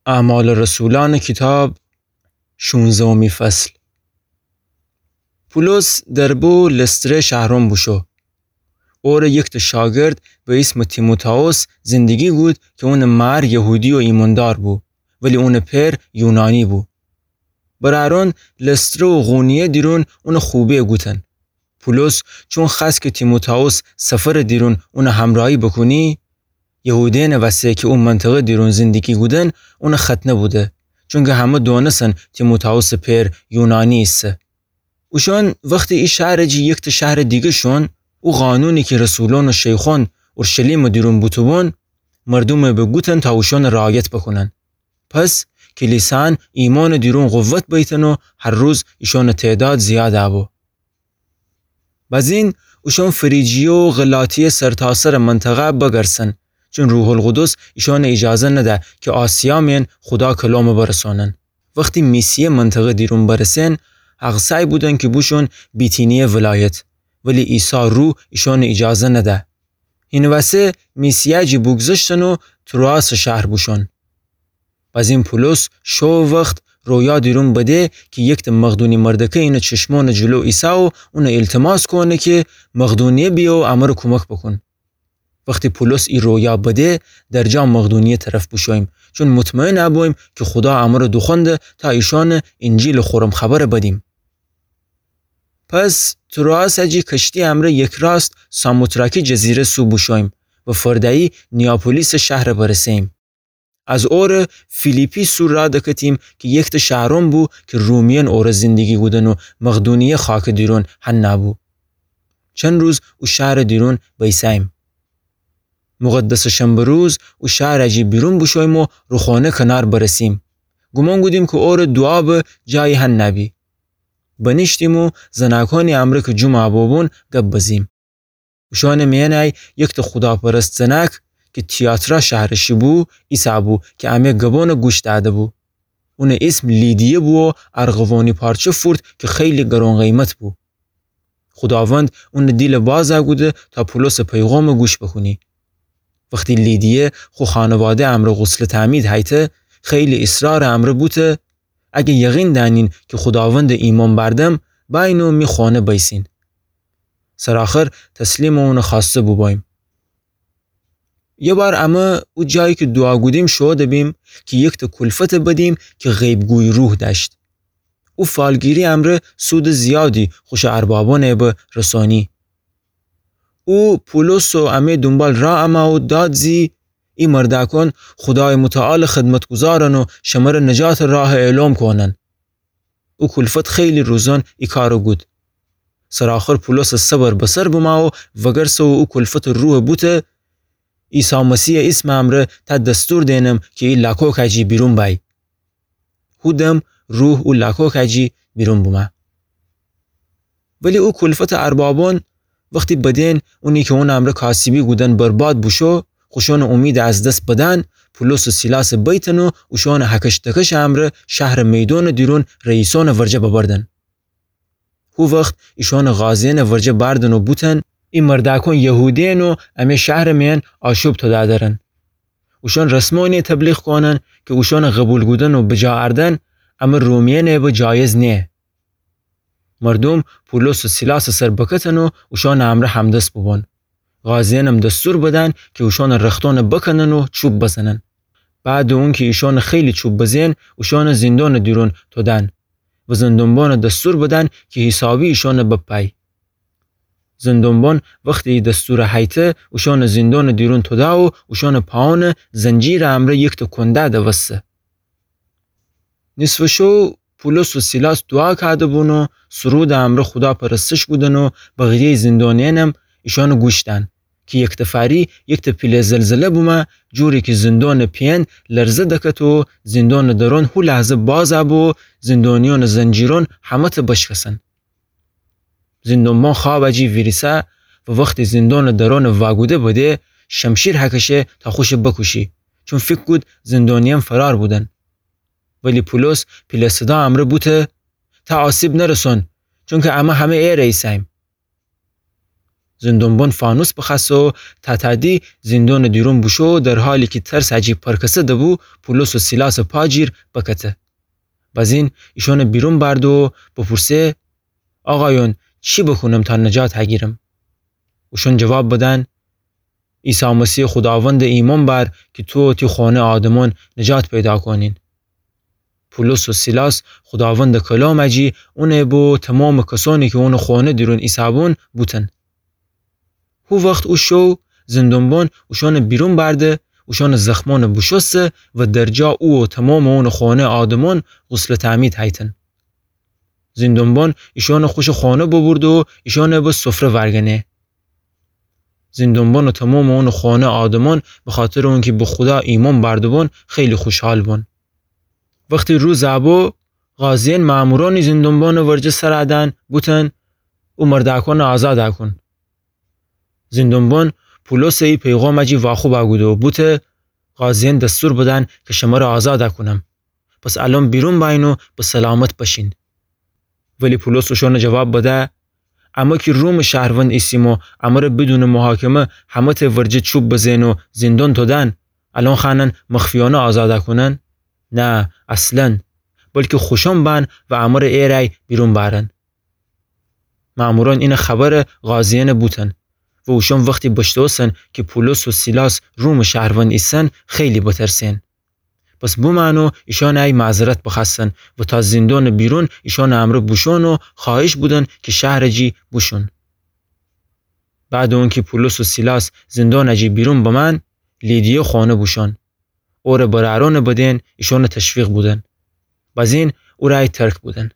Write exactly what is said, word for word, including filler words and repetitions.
اعمال رسولأنٚ کیتاب، شونزهمی فصل. پولس در بو لستره شهرون بوشو. اوره یکته شاگرد به ایسمٚ تیموتائوس زندگی گود کی اونٚ مار یهودی و ایماندار بو، ولی اونٚ پئر یونانی بو. برأرون لستره و قونیه دیرون اونه خوبه گوتن. پولس چون خوأست کی تیموتائوس سفرٚ دیرون اونه همرأیی بوکونی، یهودیأنٚ وسه کی او منطقه دیرون زندگی گودن اونه ختنه بوده، چونکی همه دونسن تیموتائوسٚ پئر یونانی ایسه. اوشون وختی ای شهرٚ جی یکته شهرٚ دیگه شون، او قانونی کی رسولون و شیخون اورشلیمٚ دیرون بوتوبون، مردومه بوگوتن تا اوشون رعایت بوکونن. پس کلیسان ایمانٚ دیرون قوت بیتن و هر روز ایشونٚ تعداد زیاد بو. بزین اوشون فریجیه و غلاطیه سرتاسرٚ منطقه بگرسن، چون روح‌القدس ایشون ایجازه نده کی آسیا مئن خودا کلام برسونن. وختی میسیه منطقه دیرون برسن، هغسای بودن کی بوشون بیتینیه ولایت، ولی عیسی روح ایشون ایجازه نده. هینٚ وسه میسیه جی بوگذشتن و تروآسٚ شهر بوشون. بزین پولس شو وخت رویا دیرون بده کی یکته مقدونی مردکه اینه چشمونٚ جلو ایسه و اونه ایلتماس کونه کی مقدونیه بیه و امره کومک بوکون. وختی پولس ای رویا بده، درجا مقدونیه طرف بوشویم، چون مطمئن بویم کی خودا امره دوخونده تا ایشون اینجیلٚ خورم خبر بدیم. پس تروآس جی کشتی امره یکراست ساموتراکی جزیره سو بوشویم و فرده‌یی نیاپولیسٚ شهر برسه‌ییم. از اوره فیلیپی سو راه دکتیم کی یکته شهرون بو کی رومیأن اوره زندگی گودن و مقدونیه خاکٚ دیرون هنه بو. چند روز او شهرٚ دیرون بیسه‌ییم. مقدسٚ شنبه روز او شهر جی بیرون بوشویم و رو خونه کنار برسیم. گومان گودیم کی اوره دوعا به جایی هنه بی. بنیشتیم و زناکونی امره کی جمعه بوبون گب بزیم. اوشونٚ میأنی یکته خوداپرست زناک کی تیاترا شهرٚ شی بو، ایسه بو کی امه گبونٚ گوش دأده بو. اونٚ ایسم لیدیه بو و ارغوانی پارچه فورت کی خیلی گرون قیمت بو. خوداوند اونٚ دیل بازه کوده تا پولسٚ پیغامٚ گوش بوکونی. وختی لیدیه خو خانواده امره غسلٚ تعمید هیته، خیلی اصرارٚ امره بوته، اگه یقین دأنین کی خوداوندٚ ایمأن بردم، بأیین و می خونه بیسین. سرآخر تسلیمٚ اونٚ خوأسته بوبوییم. یه بار امه او جایی کی دوعا کودیم شوده بیم کی یکته کلفته بدیم کی غیب‌گوی روح دأشت. او فالگیری امره سودٚ زیادی خوشٚ اربابأنٚ به رسانی. او پولس و امه دونبال راه امه و داد زی، ای مردأکون خودایٚ متعالٚ خدمتگذارن و شمره نجاتٚ راه اعلام کونن. او کلفت خیلی روزأن ای کارٚ کود. سرآخر پولسٚ صبر به سر بمه و وگرسه و او کلفتٚ روح بوته، عیسی مسیحٚ ایسمٚ امره تا دستور دینم کی ای لاکوکه جی بیرون بأیی. هو دم روح او لاکوکه جی بیرون بومه. ولی او کلفتٚ اربابأن وختی بدین اونی کی اونٚ امره کاسبی کودن برباد بوشو، خوشونٚ اومیده از دس بدن، پولس و سیلاسه بیتن و اوشونٚ هکش دکشٚ امره شهرٚ میدونٚ دیرون رئیسونٚ ورجه ببردن. هو وخت ایشونٚ قاضیأنٚ ورجه بردن و بوتن، ای مردأکون یهودیین و امه شهرٚ میأن آشوب تودأ درن. اوشون رسمونی تبلیغ کونن کی اوشونٚ قبول کودن و بجا اردن امه رومیأنٚ به جایز نیه. مردوم پولس و سیلاسٚ سر بکتن و اوشونٚ امره همدس بوبون. قاضیأنم دستور بدن کی اوشونٚ رختونٚ بکنن و چوب بزنن. بعدٚ اونکی ایشونٚ خیلی چوب بزین، اوشونٚ زندونٚ دیرون تودن و زندونبانٚ دستور بدن کی حیسابی ایشونٚ بپای. زندونبان وختی ای دستورٚ هیته، اوشونٚ زندونٚ دیرون توده و اوشونٚ پاونٚ زنجیرٚ امره یکته کونده دوسته. نیصفٚ شو پولس و سیلاس دوعا کاده‌بون و سرودٚ امره خودا پرستش کودن و بقیه‌یٚ زندونیأنم ایشانٚ گوش دأن کی یکتفری یکته پیله زلزله بومه، جوری کی زندونٚ پیأن لرزه دکت و زندونٚ درون هو لحظه بازَ بو و زندونیأنٚ زنجیرون همه‌تأ بشکسن. زندونبان خوابٚ جی ویریسه و وختی زندونٚ درونٚ واگوده بده، شمشیر هکشه تا خوشٚ بکوشی، چون فیکر کود زندونیأن فرار بودن. ولی پولس پیله صدا امره بوته: تا آسیب نرسون، چونکی امه همه ایره ایسه‌ییم. زندون‌بان فانوس بخوأسته و تاتادی زندونٚ دیرون بوشو، در حالی کی ترسٚ جی پرکسه دبو، پولس و سیلاسٚ پا جیر بکته. بزین ایشانٚ بیرون بأرده و بپورسه: آقایون، چی بکونم تا نجات هگیرم؟ اوشان جواب بدن: عیسی مسیحٚ خوداوندٚ ایمأن بأر کی تو و تی خانه آدمأن نجات پیدا کونین. پولس و سیلاس خوداوندٚ کلامٚ جی اونٚ بو تمامٚ کسأنی کی اونٚ خانه دیرون ایسه‌بون بوتن. هو وخت او شو زندون‌بان اوشانٚ بیرون بأرده، اوشانٚ زخمأن بوشوسته و در جا او و تمامٚ اونٚ خانه آدمأن غسلٚ تعمید هیتن. زندون‌بان ایشانٚ خوشٚ خانه ببرده و ایشانٚ به سفره ورگنه. زندون‌بان و تمامٚ اونٚ خانه آدمأن بخاطرٚ اونکی به خودا ایمأن بأرده‌بون خیلی خوشحال بون. وختی روز بو، قاضیأن مأمورأنی زندون‌بانٚ ورجه سر دأن، بوتن: او مردأکأنٚ آزاد کون. زندون‌بان پولسٚ ای پیغامٚ جی واخوب کوده و بوته: قاضیأن دستور بدن کی شمره آزاد کونم. پس الأن بیرون بأیین و به سلامت بشین. ولی پولس اوشانٚ جواب بده: امه کی رومٚ شهروند ایسیم و امره بدونٚ محاکمه همه‌تأ ورجه چوب بزه‌ن و زندون تودن، الأن خوأنن مخفیأنه آزاد کونن؟ نه، اصلاً، بلکی خوشأن بأن و امره ایرأی بیرون بأرن. مأمورأن اینٚ خبر قاضیأن بوتن و اوشأن وختی بشتوستن کی پولس و سیلاس رومٚ شهروند ایسن، خیلی بترسئن. پس بومأن و ایشأنٚ ای معذرت بخوأستن و تا زندونٚ بیرون ایشأنٚ امرأ بوشون و خوأهیش بودن کی شهرٚ جی بوشون. بعدٚ اونکی پولس و سیلاس زندونٚ جی بیرون بمأن، لیدیه خانه بوشون. اورٚ برأرأنٚ بدن ایشأنٚ تشویق بودن. بزین اورٚ ای ترک بودن.